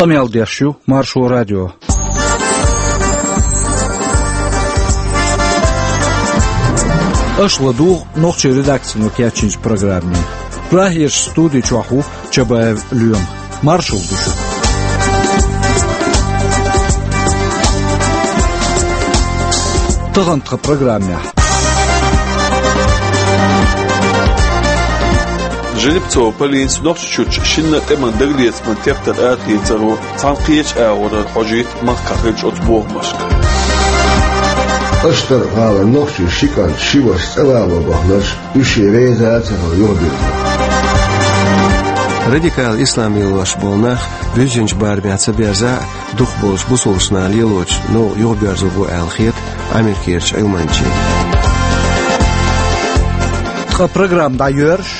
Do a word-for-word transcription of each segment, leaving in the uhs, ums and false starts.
Къамел деш ю Маршо радио. Аша ладугӀу нохчийн редакцино кечйинчу программе. Прагерчу студи чохь ву Чабаев Лоьма. Маршалла ду шуьга. Тахана тхан программехь. Жеребцова Полинас Нохчийчуьрчу шинна тӀеман дагалецаман тептар арахецаро цхьана кхечу агӀорара хьожуьйту махкахь хиллачу оцу бохамашка. Аштархьалара нохчийн ши кӀант, ши ваша цӀа вало баханарш, уьш шен веза а ца хилла юхабирзина. Радикал ислам лелош болу нах буьззинчу барамехь ца берзахь а, дукхахболчу бусалбачу наха лелочу новкъа юхабоьрзур бу аьлла хета Америкерчу Ӏилманчийн. Ткъа программа дӀайоьрзуш.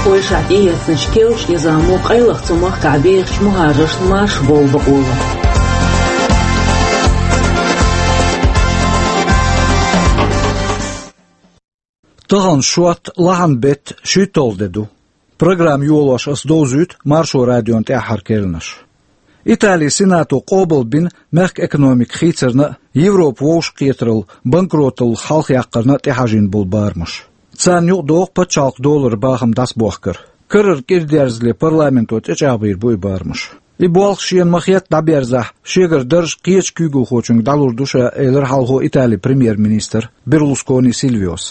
Польшахь тӀеэцначу керлачу низамо къайлаха цу махкахь бехачу мухӀажаршна марша бовла бакъо ло. Тахана шот, лахьан беттан шуьйтталгӀа де ду. Программа йолош ас довзуьйту Маршо радион тӀаьххьара керланаш. Италин Сенато къобалбина мехкан экономика хийцарна а, Европа вовшахкхетаралла, банкроталлах хьалхаяккхарна а тӀехьажийна болу барамаш. Царна юкъадоху пачхьалкхан долларан бахам дӀасабохкар. Карара кӀира дерзале парламенто тӀечӀагӀбийр бу и барамаш. И болх шена ма-хетта дӀаберзахь, шегара дарж кхечу куьйгалхочуьнга дӀалур ду ша, элира хьалхо Италин премьер-министра Берлускони Сильвиос.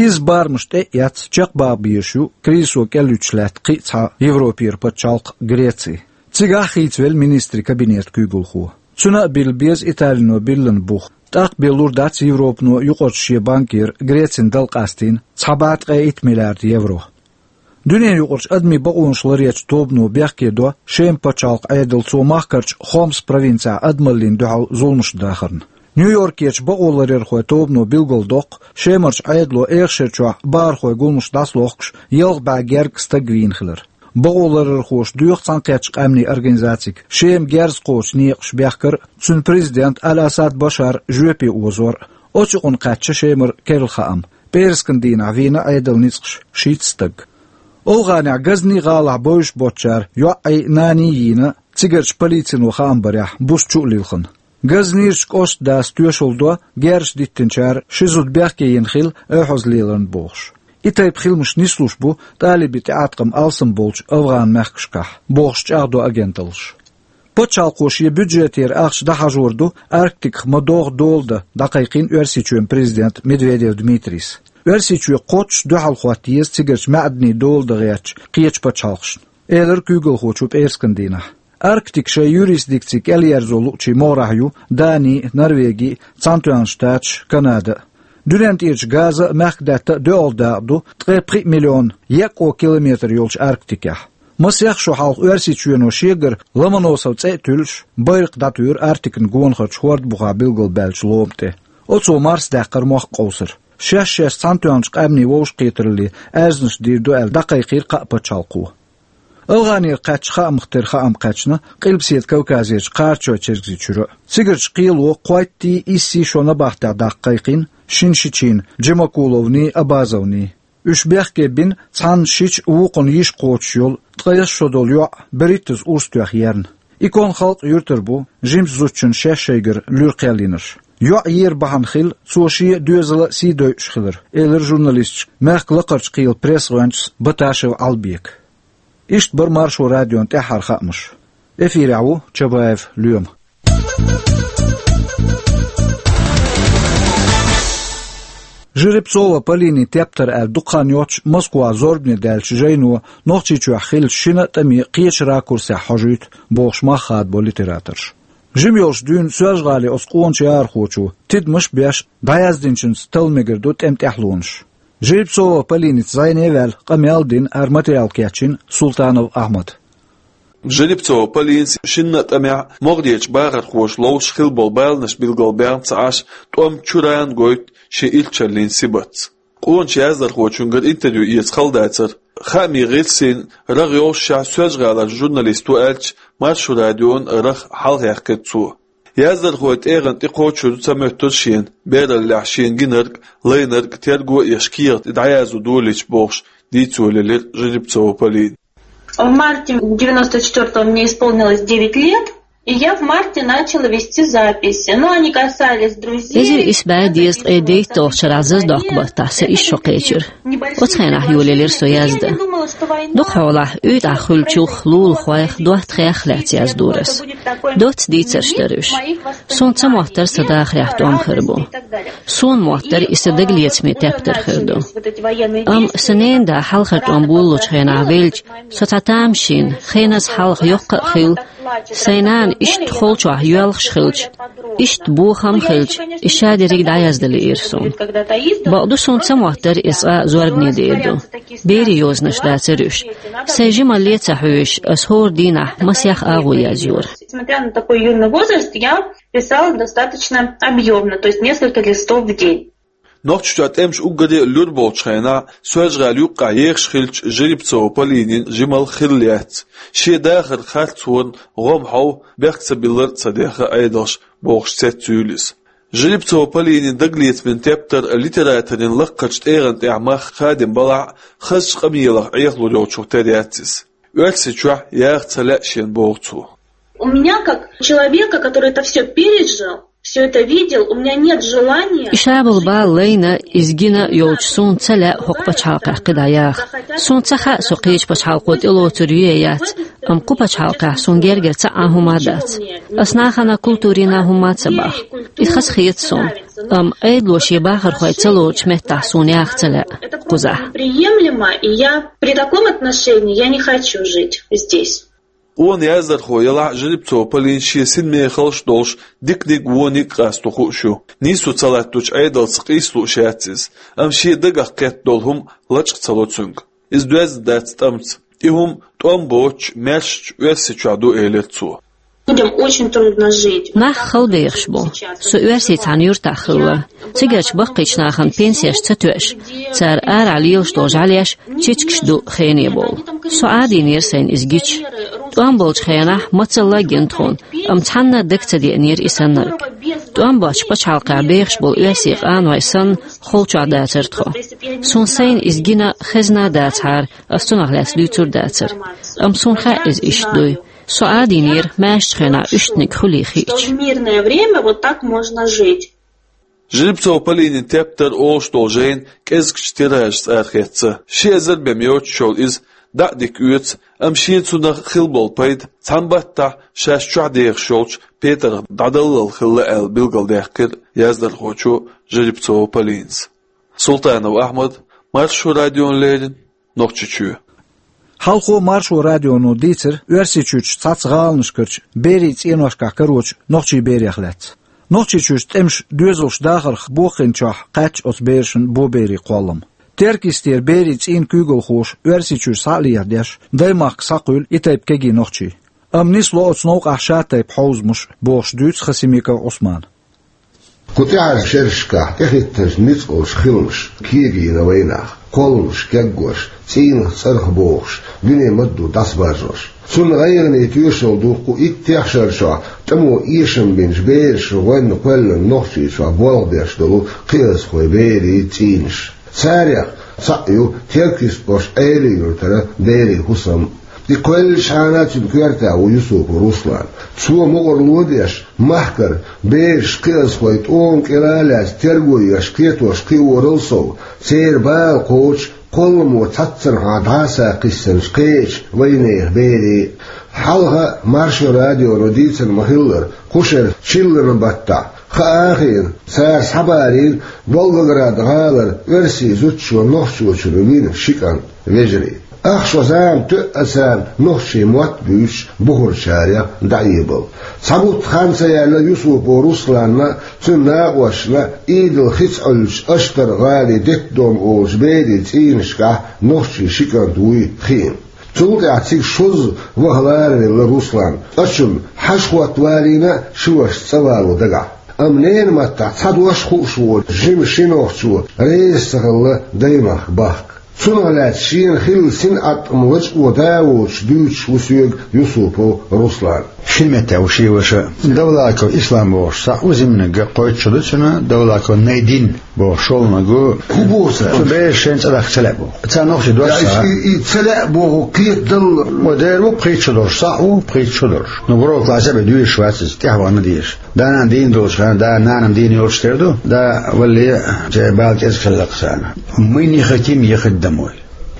Изза барамаш тӀе а эцна, чекхбаха безаш ю кризисо кӀеллуьйтуш лаьтта кхин а цхьа Европера пачхьалкх Греци. Цигахь а хийцавелла министрийн кабинетан куьйгалхо. Цуьнан а билла беза Италино биллина бух. ТӀаккха бен лур дац Европано юкъарчу шен банкера Грецина дала къастийна цхьа бӀе ткъе итт миллиард евро. Дуьненан юкъарчу адамийн бакъонаш ларъечу тобано бехке до Шеман пачхьалкхан Ӏедал цо махкарчу Хомс провинцехь адамаллина дуьхьал зуламаш дахарна. Нью-Йоркерчу бакъоларъярхойн тобано билгалдоккху, Шемарчу Ӏедало эха шарчохь бахархойн гуламаш дӀасалохкуш, ялх бӀе гергга стаг вийна хилар. Бакъоларъярхоша доьху Цхьаьнакхеттачу Къаьмнийн Организацига Шема герз кхочу некъаш бехкар а, цуьнан президент Аль-Асад Башар жоьпе озор а. Оцу юкъана кхаьчна Шемара керла хаам. ПӀераскан дийнахь вийна Ӏедалан ницкъаша шийтта стаг. АфгӀанехь Газни гӀалахь бовзуш боцучара йоӀ а, нана а йийна, цигарчу полицино хаам барехь, буса чу а лилхина. Газнерчу кӀоштан дас тоьшалла до, герзаш диттинчара ши зуда бехке йина хилла оьхьазлеларна бохуш. И тайпа хиламаш нислуш бу талибийн тӀеӀаткъам алсам болчу АфгӀан мехкашкахь, бохуш чӀагӀдо агенталлаша. Пачхьалкхо шен бюджетера ахча дӀахьажор ду Арктиках ма-догӀу дола дан, дӀакхайкхийна Оьрсийчоьнан президента Медведев Дмитрийс. Оьрсийчоь кхоччуш дуьхьал хӀотта еза цигарчу маьӀданийн дола дан гӀертачу кхечу пачхьалкхашна, элира куьйгалхочо пӀераскан дийнахь. Арктика шайн юрисдикци кӀелъерзо луучийн могӀарехь ю Дани а, Норвеги а, Цхьаьнатоьхначу Штаташ а, Канада а. Дуьнен тӀерачу газа а, мехкадаьтта а доьалгӀа дакъа ду ткъе пхиъ миллион екъо километр йолчу Арктикехь. Масех шо хьалха Оьрсийчоьно шегара Ломоносов цӀе а туьллуш, байракх дӀатуьйра Арктикан гонахарчу хӀордан бухахь билгалбаьллачу лома тӀе. Оцо Марс даьккхира мохк къовсар. Шаьш-шаьш Цхьаьнатоьхначу Къаьмнийн Вовшахкхетаралле аьрзнаш дийр ду аьлла, дӀакхайкхийра кхаа пачхьалкхо. АфгӀанера кхаьчначу хаамах тера хаам кхаьчна Къилбаседа Кавказерчу Кхарачой-Чергазийчуьра а. Цигарчу кхело кхойттий, иссий шо набахтехь даккха кхайкхийна шина шичийн, Джемакуловний, Абазовний. Уьш бехке бина цхьанна шича, вукхунна йиша кхочуш йолу ткъе исс шо долу йоӀ берхӀиттазза урс тоьхна ерна. И конан халкъ юьртара бу, жимачу зудчунна шаьш шайгара луьра кхел йинарш. ЙоӀ ер бахьана хилла, цо шен а, доьзалан а сий дойуш хилар, элира журналисташка мехкан лакхарчу кхелан пресс-гӀоьнчас Баташев Ӏалбека. Иштта бара Маршо радион тӀаьххьара хаамаш. Эфирехь ву Чабаев Лоьма. Жеребцова Полинин тептар аьлла дукха хан йоццуш Москвахь зорбане даьллачу жайно Нохчийчохь хиллачу шина а тӀаме кхечу ракурсехь хьожуьйту, бохуш мах хадабо литераторша. Жима йолуш дуьйна Соьлжа-ГӀалин оцу къоначу яхархочо, тидамаш а беш, дӀаяздинчуьнца талла мегар ду тӀеман тӀаьхьалонаш. Жеребцова Полиница зӀене а ваьлла, къамел а дина, хӀара материал кечйина Султанов Ахьмада. Жеребцова Полинас шинна а тӀамехь могӀарерчу бахархоша ловзуш хилла болу баланаш билгалбаьхна ца Ӏаш, тӀом чуьрана гойту шен ирчаллин сибатца. Къоначу яздархочуьнгара интервью эца хала дацара. Хаамийн гӀирсийн рагӀ йоллушехь, Соьлжа-ГӀалара журналист ву аьлча, Маршо радион рагӀ хьалхаяьккхира цо. Яздархойн тӀегӀан тӀе кхочур ца моьттура шена, бераллехь шена гинарг, лайнарг терго а еш, кехат дӀаязо долийча, бохуш, дийцо лелира Жеребцова Полина. В марте девяносто четвёртого мне исполнилось девять лет, и я в марте начала вести записи. Но они касались друзей. Эзир исс бӀаь дезткъе дейтталгӀачу шарахь зазадоккху баттахь сан исс шо кхечира. Оцу хенахь йолаелира со яздан. Дукха хьолахь уьйтӀахь хуьлучух, лулахойх, доттагӀех лаьцна яздора ас. Доцца дийцарш дара уьш. Суна ца моттара сан дахарехь тӀом хир бу. Суна моттара и сан дагалецаман тептар хир ду. Амма сан ненан да хьалхара тӀом болалучу хенахь велча, со цхьа тамашийна, хеназа хьалха йоккха а хилла, сайн нана иштта холчохь йоьлхуш хилча, иштта бохам а хилча, и ша дерриг дӀаяздина лиира суна. Бакъду, суна ца моттара иза цкъа зорбане дер ду. Берийн йозанаш дацара уьш. Сайн жималле а ца хьоьжуш, ас хӀора дийнахь масех агӀо язйора. Несмотря на такой юный возраст, я писала достаточно объёмно, то есть несколько листов в день. Нохчийчохь тӀемаш уггаре а лур болчу хенахь, Соьлжа-ГӀала юккъехь ехаш хиллачу Жеребцова Полинин жималла хилла яц. Шен дахаран харцонан гӀо-м хьов, бехк ца биллар а ца дехха Ӏедалша, бохуш цецйуьйлу иза. Жеребцова Полинин дагалецаман тептар литераторийн лакхарчу тӀегӀан тӀехь мах хадийна балахь а, хазачу къамелах Ӏехалур йолчух тера яц иза. Оьрсийчохь яха ца лаьа шена, боху цо. У меня, как человека, который это всё пережил, всё это видел, у меня нет желания... И ша болу бала лайна, иза гина йолчу суна ца лаьа хӀокху пачхьалкхехь кхидӀа яха. Суна ца хаьа со кхечу пачхьалкхо тӀелоцур ю я яц, амма кху пачхьалкхехь суна гергара цхьа а хӀума а дац. Ас нахана, культурина хӀума а ца боху. И хаза хета суна. Амма Ӏедало шен бахархой ца лоручу меттехь суна яха ца лаьа кхузахь. Приемлемо, и я при таком отношении, я не хочу жить здесь. Къона яздархо ялахь а, Жеребцова Полина шен синмехаллаш а долуш, диканиг а, вониг а къасто хууш ю. Нийсо ца латточу Ӏедалца къийса лууш яц иза, амма шен дагах кхетта долу хӀума лачкъа ца ло цуьнга. Иза доьзна дац тӀамца. И хӀума тӀом боцучу, маьршачу Оьрсийчохь ду, элира цо. Людям очень трудно жить. Нах хала бехаш бу. Со Оьрсийчохь цхьана юьртахь хилла. Цигарчу баккхийчу нахана пенсеш ца тоьаш, цара арахь лелаш долу жӀаьлеш чечкаш ду хене бовла. Со Ӏадийнера сайна иза гича. ТӀом болчу хенахь мацалла а гина тхуна, амма цхьанна а дага ца деанера и саннарг. ТӀом боцчу пачхьалкхехь бехаш болу оьрсийн къанойн санна, холчохь дацара тхо. Суна сайна иза гина хезна а дацахьара, ас цунах лаьцна дуьйцур а дацара. Амма суна хаьа иза иштта дуй. Со Ӏадийнера маьршачу хенахь уьстагӀниг хуьлий хиъча. Что в мирное время вот так можно жить. Жеребцова Полинин тептар олуш долу жайна кӀезигчу тиражашца арахецна. Ши эзар бен йоцуш йолу иза дӀа а дика оьцу, амма шена цунах хилла болу пайда цхьана баттахь шаьш чохь дехаш йолчу петарх дӀадаллал хилла аьлла билгалдаьккхира яздархочо Жеребцова Полинас. Султанов Ахьмад, Маршо радиона леррина, Нохчийчоь. Хьалхо Маршо радионо дийцира Оьрсийчуьрчу цхьацца гӀаланашкарчу берийн цӀеношкахь карочу нохчийн берех лаьцна. Нохчийчуьрчу тӀемаша доьзалш дахарх бохийначохь кхаьчча оцу берашна боберийн кхоллам. Теркйистера берийн цӀийнан куьйгалхоша Оьрсийчуьра схьа а лехьадеш, даймахка схьакхуьйлу и тайпа кегий нохчий. Амма нисло оцу новкъахь шатайпа хьовзамаш, бохуш дуьйцу Хасимиков Ӏусмана. Кху тӀаьхьарчу шерашкахь тӀехӀиттинчу ницкъаллаш хиламаш кегийна вайнах, кхолламаш кегош, цӀийнах цӀарах бохуш, дуьне ма-дду дӀасабаржош. Цунна гӀайгӀане тоьшалла ду кху иттех шарчохь тӀамо эшам бинчу бераша гӀоьнна кхоьллина Нохчийчохь болх беш долу кхиазхой берийн цӀийнаш. Царех цхьаъ ю Теркйист-кӀоштан Ӏелин-Юьртара берийн хӀусам. И кхоьллинчхьана цуьнан коьртехь ву Юсупов Руслан. Цо мукъарло деш, махкара бераш, кхиазхой тӀома кӀира а лаьцна терго еш, кхетош кхиорал сов, церан бала кхочуш, кхолламо цхьаццанхьа дӀасакхиссинчу кхечу вайнехан берийн. Хьалха Маршо радионо дийцина ма-хиллара, кху шеран чиллан баттахь, хаа а хиъна, цара схьабарийна Волгоград гӀалара оьрсийн зудчо нохчочунна вина ши кӀант, вежарий. Ах шо зама тоьа царна нохчийн мотт буьйцуш бухарчарех дӀаэбала. Цхьа бутт хан ца яьлла Юсупов Русланна, цуьнан накъосташна Ӏийдал хица Ӏуьллучу Аштар-гӀалин детдом олучу берийн цӀийнашкахь нохчийн ши кӀант вуй хиъна. Цул тӀаьхьа цига шозза ваха ларавелла Руслан. Ачунна хьажа хӀотта валийна ши вашас цӀа вало дагахь. Амма ненан маттахь цхьа дош хууш волу жима ши нохчо реза ца хилла даймахка бахка. Цунах лаьцна шена хилла синӀатӀам лачкъо да а воцуш дуьйцуш ву соьга Юсупов Руслан. Шина меттехь ву шен ваша Давлаков Ислам бохуш цхьаъ ву, зиманиг кхойтта шо ду цуьнан, Давлаков Найдин. Бо шолмагу. ХӀун боху цара? Цу бераш шайн цӀа дахка ца лаьа боху. Царна нохчий дош. Я, ца. И, и ца лаьа боху кхетадалла. Ва дера ву пхийтта шо долуш, схьа а ву пхийтта шо долуш. Ну, гуро классе бен дуьйш вац иза, тӀаьхьа вахана дезаш. Да-нана дийна долчу хенахь, да-нана дийна йолуш тера ду, да валле, церан бала кӀезиг хилла-кх царна. Мы не хотим ехать домой.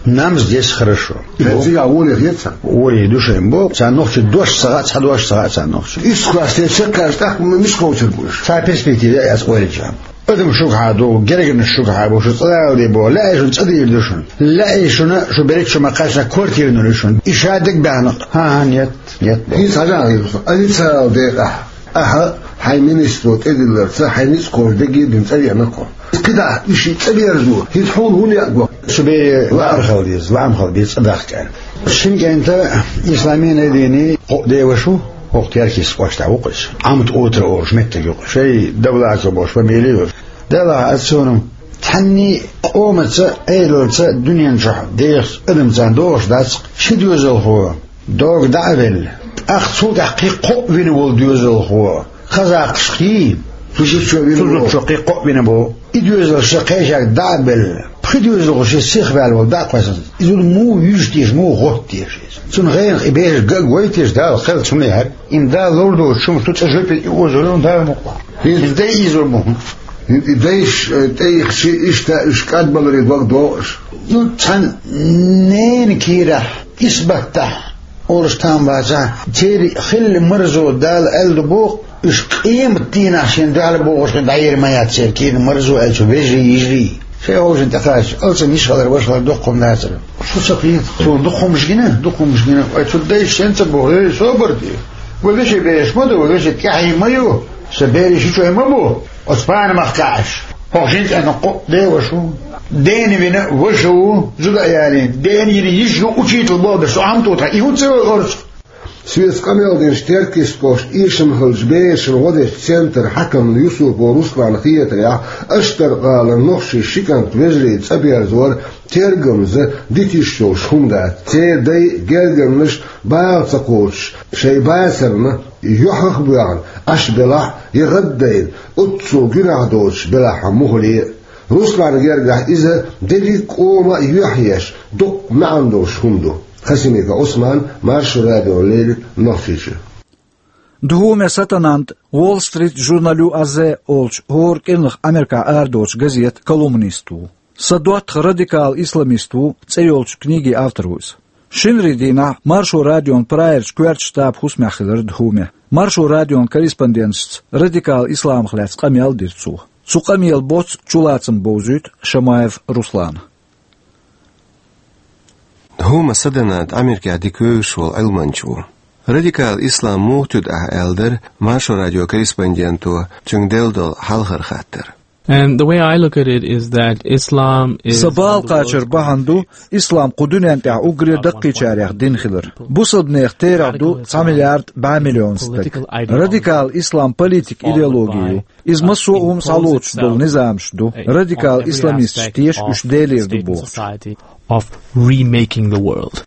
Нам здесь хорошо. Цига воле хета? Воле ду шайн боху, царна нохчий дош ца хаьа, цхьа дош ца хаьа царна нохчий. Исс классе чекхаьжча тӀаккха миска кхочур бу уьш? Цхьа перспектива яц ойла чам. Адам шуьгахьа ду, гергарнаш шуьгахьа бу, шу цӀа Дала де боху, лаьий шуна, цӀа дийр ду шуна. Лаьий шуна, шу берриг чу ма кхаьчна, квартира лур ю шуна. И ша дагабаьхна, хӀан-хӀан, нет, нет боху. ХӀинца хьажа хир ду сан, Али Царал декъахь. Ахьа хьайн министро тӀедилларца, хьайн ницкъ кхочу дерриге а бина цӀа веана кхо. КхидӀа, и ши цӀа берзо, хӀинца хьуна хӀун яа го? Шу бере лаам хила деза, лаам хила деза цӀа дахка аьлла. Шина кӀентан Исламина а дийна, кхо деваш ву, хӀокху Теркис кӀоштахь ву-кх иза. Амт утра олуш меттиг ю-кх. Шайн Давлаков бохуш фамилия ю. Делахь аса цунах, цхьанний къомаца, Ӏедалца дуьнен чохь дехаш адам царна догӀуш дац-кх, ши доьзалхо догӀа дӀа а велла, тӀаккха цул тӀаьхьа кхин кхоъ вина волу доьзалхо, хазахаш хий, цу зудчо вина волу, цу зудчо кхин кхоъ вина боху. И доьзалш кхечаьрга дӀа а белла, пхи доьзалхо шен сиха ваьлла волу дӀа а кхоьссина, и зуда муха вуьжу теша, муха гӀотту теша иза? Цунна гӀенах и бераш ган а гой теша, Дала кхеллачу хӀумане хьаьрга. Имма Дала лур доцу хӀума шу цӀа жоьпе и озо ду, Дала мукъалахь. ХӀинца дай иза ву. И дайша, э, тӀеихча, иштта уьш кӀадбаларе дог догӀу аша. Ну, цхьана ненан кийрахь, исбаттахь олуш там бацахь, церан хилла марзо Дала аьлла ду боху, уьш къематдийнахь шен дуьхьал богӀуш хин дӀаер ма яц церан кийран марзо аьлла цу вежарий, йижарий. Шайн хьовшина тӀекхача, алсам йиш хилар, ваша хилар доккха хӀума дацара. Шу ца кхета, цо дукха хӀумаш гина, дукха хӀумаш гина. Вай цу дайша шен ца боху, эй, собар де. Вай вешин бераш ма ду, вай вешин тӀаьхье ма ю. Сан берийн шичой ма бу, оцу панамах кхаьаш. ХӀокху жин цӀенна кхоъ деваш ву. Дена вина ваша ву, зуда а ялийна. Дена йина йиш ю, учитель боху, шу Ӏам тӀе тхан. И хӀун ца йой орцах? Соьца къамел динчу Теркис кӀоштан эшам хиллачу берашна гӀо дечу центран хьаькамна Юсупов Русланна хетарехь, Аштаркхалан нохчийн ши кӀант вежарийн цӀа берзор тергамза дитиш йолуш хӀума дац. Церан дай гергарнаш бала ца кхочуш, шайн бацарна юьхьах а боьгӀна, Ӏаш белахь а, я гӀаддайна, оццул гуьнахь доцуш белахь а муххале а. Русланна гергахь иза дерриг а къоман а юьхь еш, дуккха маьӀна долуш хӀума ду. Хасимиков Ӏусман, Маршо радиона леррина Нохчийчуьра. Дхуме Сатананда, Wall Street Journal U S A олучу хӀора кӀиранах Америкахь арадоцучу газетан колумнист ву. «Сан доттагӀа радикал исламист ву» цӀе йолчу книгин автор ву иза. Шинарин дийнахь Маршо радион прайерчу коьртачу штабан хӀусамехь хилира Дхуме. Маршо радион корреспонденташца радикал исламах лаьцна къамел а дира цо. Цу къамелан боццу чулацам бовзуьйту Шамаев Руслана. Дхуме Сатананда Америкехь дика вевзаш волу Ӏилманча ву. Радикал ислам муха туьду ахьа аьлла дара Маршо радион корреспонденто цуьнга делла долу хьалхара хаттар. And the way I look at it is that Islam is... Сан бала кхачар бахьана ду, ислам кху дуьнен тӀехь уггаре даккхийчарех дин хилар. Бусалбанех терахь ду цхьа миллиард бӀе миллион стаг. Радикал ислам политик идеологи ю. Иза массо а хӀума схьалоцуш долу низамаш ду. Радикал исламисташ теша уьш Делера ду бохучу. Of remaking the world.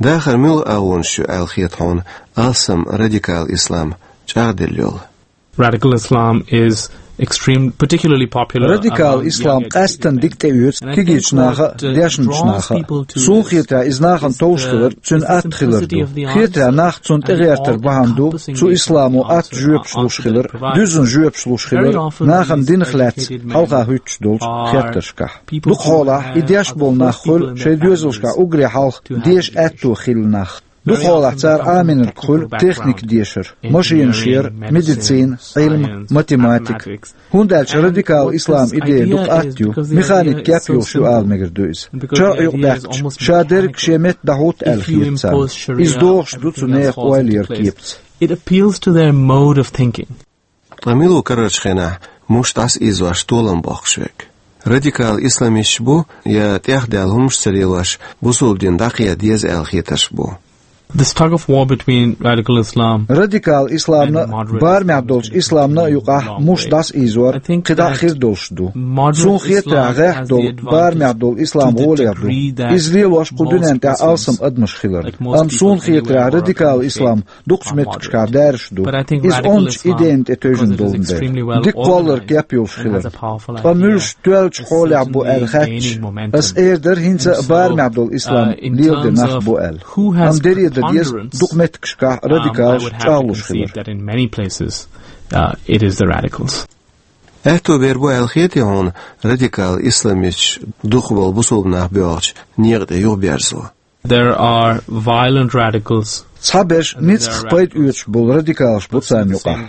Дахар муьлха агӀонаш ю аьлла хета хьуна алсам радикал ислам чӀагӀделла йолу? Radical Islam is extreme, particularly popular... Радикал ислам къаьсттина дика тӀеоьцу кегийчу наха а, дешначу наха а. Суна хетарехь, иза нахана товш хилар цуьнан атта хилар ду. Хетарехь, нах цунна тӀегӀертар бахьана ду цу исламо атта жоьпаш луш хилар, дуьззина жоьпаш луш хилар, нахана динах лаьцна хьалха хӀуьттуш долчу хеттаршкахь. Дукха хьолахь и деш болу нах хуьлу шайн доьзалшкахь уггаре хьалха деша аьтто хилла нах. Дукха хьолахь цара Ӏамийнарг хуьлу техника дешар, машенаш яр, медицина, Ӏилма, математика. ХӀунда аьлча радикал ислам идея дукха атта ю, механик кеп йолуш ю ала мегар ду иза. ШарӀ юкъадаьккхича, ша дерг шен метта дӀахӀутту аьлла хета царна. Иза догӀуш ду цу нехан ойла яран кепаца. It appeals to their mode of thinking. Ткъа мила ву карарчу хенахь муш дӀасаийзош толам боккхуш верг? Радикал исламисташ бу, я тӀехдаьлла хӀумаш ца лелош, бусалба дин дӀакхета деза аьлла хетарш бу? This tug of war between radical Islam Радикал исламна а, барамехь долчу исламна а юкъахь муш дӀасаийзор кхидӀа а хир долуш ду. Суна хетарехь, гӀеххьа долу барамехь долу ислам гӀоле ду иза лелош кху дуьнен тӀехь алсам адамаш хиларна. Амма суна хетарехь, радикал ислам дукхачу меттигашкахь даьржаш ду. Иза ончу идейна тӀе тевжина долун дела, дика кхолларг кеп йолуш хиларна. Ткъа муьлш тоьллачу хьолехь бу аьлла хаьттича, ас эр дара хӀинца а барамехь долу ислам леладе нах бу аьлла. Амма дерриг а дан деза, дукха меттигашкахь радикалаш чӀагӀлуш хилар. Аьтто бер бу аьлла хетий хьуна радикал исламисташ дукхахболу бусулба нах боьлхучу некъа тӀе юхаберзо? There are violent radicals. Цхьаберш ницкъах пайда оьцуш болу радикалаш бу царна юкъахь.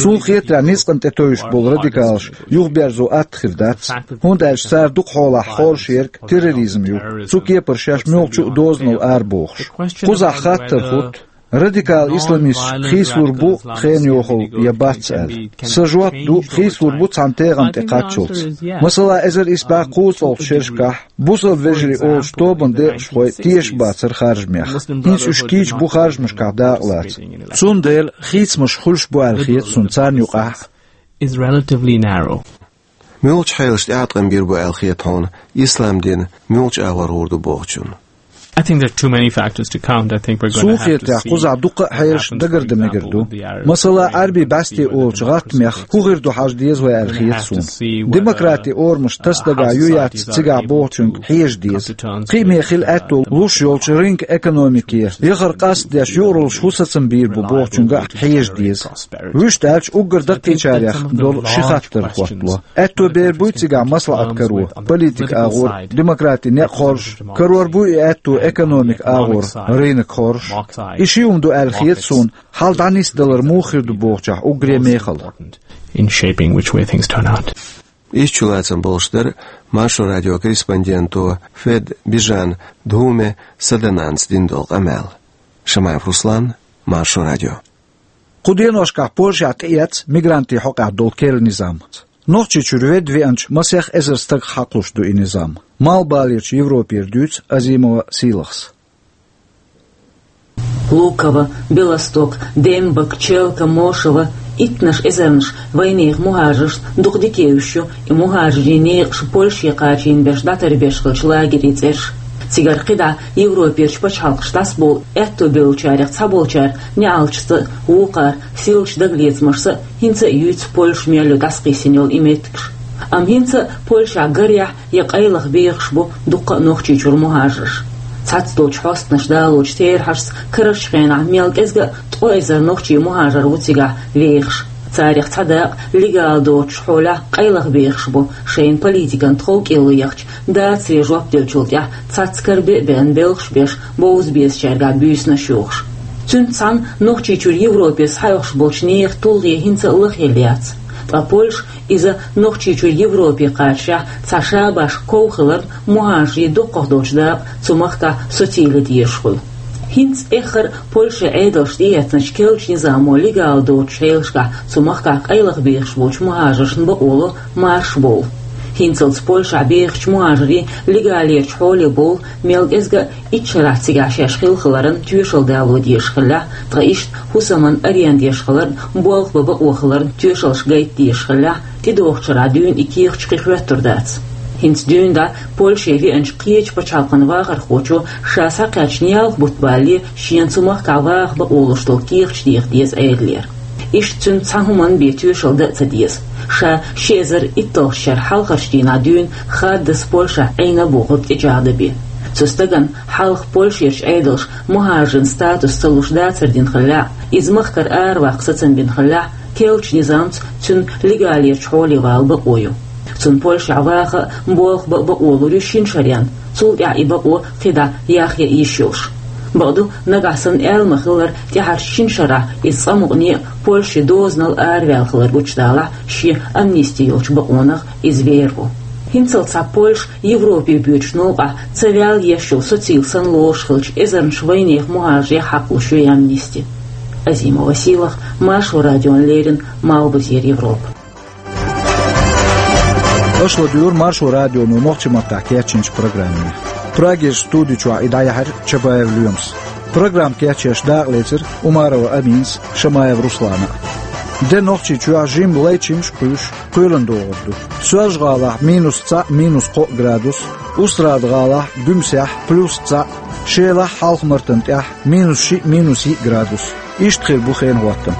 Суна хетарехь, ницкъана тӀе тевжаш болу радикалаш юхаберзо атта хир дац, хӀунда аьлча цара дукха хьолахь хоржуш ерг терроризм ю, цу кепара шаьш муьлххачу а дозанал арабохуш. Кхузахь хаттар хӀутту: радикал исламисташ хийцалур бу хенан йохалла я бац аьлла. Сан жоп ду: хийцалур бу цхьана тегӀан тӀе кхаччалц. Масала, эзар исс бӀе кхузткъалгӀачу шерашкахь бусалба вежарий олучу тобанан декъашхой тешаш бацара харжамех. ХӀинца уьш кийча бу харжамашкахь дакъалаца. Цундела хийцамаш хуьлуш бу аьлла хета суна царна юкъахь а. Is relatively narrow. Муьлхачу хьелашна тӀеӀаткъам бийр бу аьлла хета хьуна ислам дин муьлхачу агӀор гӀур ду бохучунна? I think there are too many factors to count. I think we're gonna Суна хетарехь, кхузахь дуккха а хьелаш дагардан мегар ду. Масала, Ӏаьрбийн бӀаьсте олучу гӀаттамех хӀун хир ду хьажа деза вай аьлла хета суна. Демократи орамаш тасадагахь ю яц цигахь бохучуьнга хьежа деза. Кхиаме хила аьтто луш йолчу рынка экономике яхар къастадеш юкъараллаш хӀун сацам бийр бу бохучуьнга а хьежа деза. Вуьшта аьлча, уггар даккхийчарех долу ши хаттар хӀоттало. Аьтто бер буй цигахь маслаӀат каро, политика агӀор демократи некъ хоржуш, карор буй и аьтто экономика агӀор рынок хоржуш. И ши хӀума ду аьлла хета суна, хьал дӀанисдалар муха хир ду бохучохь уггаре мехала. In shaping which way things turn out. Иштта чулацам болуш дара Маршо радион корреспонденто Фед Бижан Дхуме Садананца дина долу къамел. Шамаев Руслан, Маршо радио. Кху деношкахь Польшехь тӀеэцна мигрантийн хьокъехь долу керла низам. Нохчийчуьра ведда веанчу масех эзар стагах хьакхалуш ду и низам. Малхбалерчу Европера дуьйцу Азимова Сийлахьс. Луково, Белосток, Дембаг, Челка, Мошево, иттанаш эзарнаш вайнехан мухӀажаршна дукха дика евзаш ю и мухӀажарийн некъаш Польше кхачийна берш дӀатарбеш хиллачу лагерийн цӀераш. Цигара кхидӀа Европерчу пачхьалкхашка дӀасабовла аьтто бевллачарех цхьаболчара неӀалташца а, вукхара сийлачу дагалецамашца а хӀинца а юьйцу Польша мел ю дӀасакхиссина йолу и меттигаш. Амма хӀинца а Польшехь гарехь я къайлаха бехаш бу дуккха а Нохчийчуьра мухӀажарш. Цхьацца долчу хьостанаша далочу терахьашца карарчу хенахь мел кӀезга а ткъо эзар нохчийн мухӀажар ву цигахь вехаш. Царех цхьа дакъа легал доцучу хьолехь къайлаха бехаш бу, шайна политикан тхов кӀело яхча, дацаре жоп деллачул тӀаьхьа цхьацца карабе а беана белхаш беш, бовза безачаьргахь буьйсанаш йохуш. Цуьнца цхьаьна Нохчийчуьра Европе схьаоьхуш болчу нехан тулгӀе хӀинца а лахъелла яц. Ткъа Польша иза Нохчийчуьра Европе кхачарехь цхьа шабаш ков хиларна, мухӀажарийн дуккхах долчу дакъа цу махкахь социйла дезаш хуьлу. ХӀинца эххар а Польшин Ӏедалша тӀеэцначу керлачу низамо легал доцучу хьелашкахь цу махкахь къайлаха бехаш болчу мухӀажаршна бакъо ло марша бовла. ХӀинцалц Польшахь бехачу мухӀажарийн легалерчу хьоле бовла мел кӀезга а итт шарахь цигахь шаьш хилла хиларан тоьшалла дало дезаш хиллехь, ткъа иштта хӀусаман аренда еш хиларан болх бан бакъо хиларан тоьшаллаш гайта дезаш хиллехь, тӀедогӀучу шарахь дуьйна и кехаташ кхин хӀоьттур дац. ХӀинца дуьйна дӀа Польше веанчу кхечу пачхьалкхан вахархочо ша схьакхаьчна ялх бутт балале шена цу махкахь ваха бакъо луш долу кехаташ деха деза элира. Иштта цуьнца цхьа хӀуманна бен тоьшалла дан а ца деза. Ша ши эзар итталгӀачу шеран хьалхарчу дийнахь дуьйна хаддаза Польшахь Ӏийна а бохург тӀечӀагӀдан бен. Цу стагана хьалха Польшерчу Ӏедалша мухӀажаран статус ца луш дацар дина хиллехь а, иза махкара араваккха сацам бина хиллехь а, керлачу низамца цуьнан легалерчу хьоле вала бакъо ю. Цунна Польшехь ваха а, болх бан а бакъо лур ю шина шарна, цул тӀаьхьа и бакъо кхидӀа яхъян йиш йолуш. Бакъду, нагахь санна аьлла ма-хиллара, тӀаьхьарчу шина шарахь иза цкъа мукъане а Польше дозанал араваьлла хилар гучудалахь, шен амнисти йолчу бакъонах иза вер ву. ХӀинцалц цхьа Польша Европе боьдучу новкъахь ца ваьлла еш йолу социйла санна лоруш хиллачу эзарнаш вайнехан мухӀажарех хьакхалуш ю и амнисти. Азимова Сийлахь, Маршо радиона леррина, Малхбузера Европа. Аша ладуьйгӀира Маршо радионо нохчийн маттахь кечйинчу программе. Прагерчу студи чохь и дӀаяьхьира Чабаев Лоьмас. Программа кечъеш дакъалецира Умарова Аминас, Шамаев Руслана. Де Нохчийчохь жимма лай чимаш а кхуьйсуш, кхоьлина догӀур ду. Соьлжа-ГӀалахь минус цхьаъ, минус кхоъ градус, Устрада-ГӀалахь, Гуьмсехь плюс цхьаъ, Шелахь, Хьалха-Мартан тӀехь минус шиъ, минус йиъ градус. Иштта хир бу хенан хӀоттам.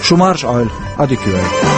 Шу марша Ӏойла, Ӏадика йойла.